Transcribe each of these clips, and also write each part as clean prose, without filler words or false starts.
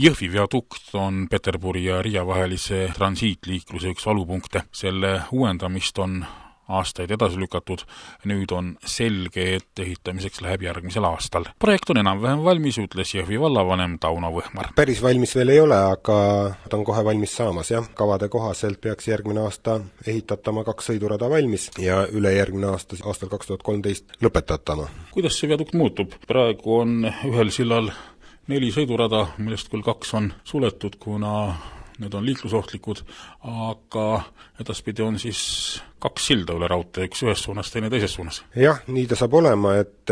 Jõhvi viadukt on Peterburi ja Riia vahelise transiitliikluse üks valupunkte. Selle uuendamist on aastaid edasi lükatud. Nüüd on selge, et ehitamiseks läheb järgmisel aastal. Projekt on enam-vähem valmis, ütles Jõhvi vallavanem Tauno Võhmar. Päris valmis veel ei ole, aga ta on kohe valmis saamas, jah. Kavade kohaselt peaks järgmine aasta ehitatama 2 sõidurada valmis ja ülejärgmine aasta, aastal 2013 lõpetatama. Kuidas see viadukt muutub? Praegu on ühel sillal 4 sõidurada, millest küll 2 on suletud, kuna need on liiklusohtlikud, aga edaspidi on siis 2 silda üle raudtee, üks ühes suunas, teine teises suunas. Jah, nii ta saab olema, et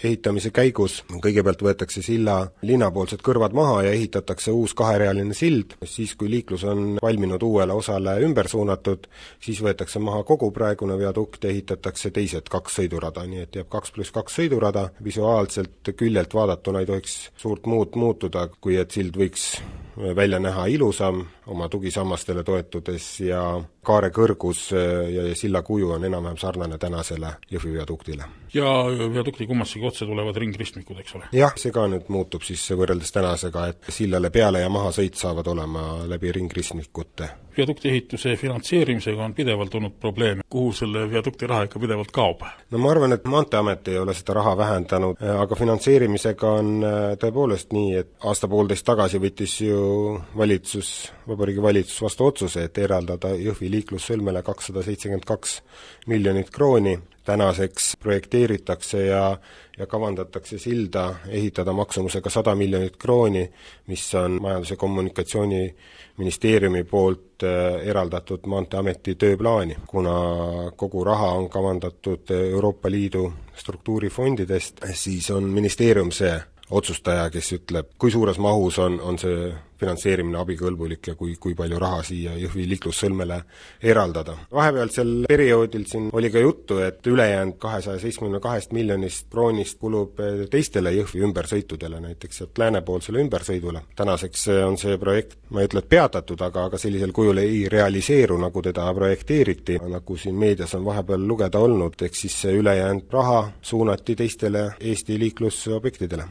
ehitamise käigus kõigepealt võetakse silla linnapoolsed kõrvad maha ja ehitatakse uus 2-realine sild. Siis, kui liiklus on valminud uuele osale ümber suunatud, siis võetakse maha kogu praegune viadukt ja ehitatakse teised 2 sõidurada, nii et jääb 2+2 sõidurada. Visuaalselt küljelt vaadatuna ei tohiks suurt muutuda, kui et sild võiks välja näha ilusam oma tugisammastele toetudes ja kaare kõrgus ja silla kuju on enam-vähem sarnane tänasele Jõhvi viaduktile. Ja viadukti kummassegi otse tulevad ringristmikud, eks ole? Jah, see ka nüüd muutub siis võrreldes tänasega, et sillale peale ja maha sõit saavad olema läbi ringristmikute. Viadukti ehituse finantseerimisega on pidevalt olnud probleeme. Kuhu selle viadukti raha ikka pidevalt kaob? No ma arvan, et Maanteeamet ei ole seda raha vähendanud, aga finantseerimisega on tõepoolest nii, et aasta-poolteist tagasi võttis ju Vabariigi Valitsus vastu otsuse, et eraldada Jõhvi liiklussõlmele 272 miljonit krooni. Tänaseks projekteeritakse ja kavandatakse silda ehitada maksumusega 100 miljonit krooni, mis on Majandus- ja Kommunikatsiooniministeeriumi poolt eraldatud Maanteeameti tööplaani. Kuna kogu raha on kavandatud Euroopa Liidu struktuurifondidest, siis on ministeerium see otsustaja, kes ütleb, kui suures mahus on see finantseerimine abikõlbulik ja kui palju raha siia Jõhvi liiklussõlmele eraldada. Vahepealsel perioodil siin oli ka juttu, et ülejäänud 272 miljonist kroonist kulub teistele Jõhvi ümbersõitudele, näiteks sealt läänepoolsele ümbersõidule. Tänaseks on see projekt, ma ei ütle, et peatatud, aga sellisel kujul ei realiseeru, nagu teda projekteeriti, nagu siin meedias on vahepeal lugeda olnud, eks siis see ülejäänud raha suunati teistele Eesti liiklusobjektidele.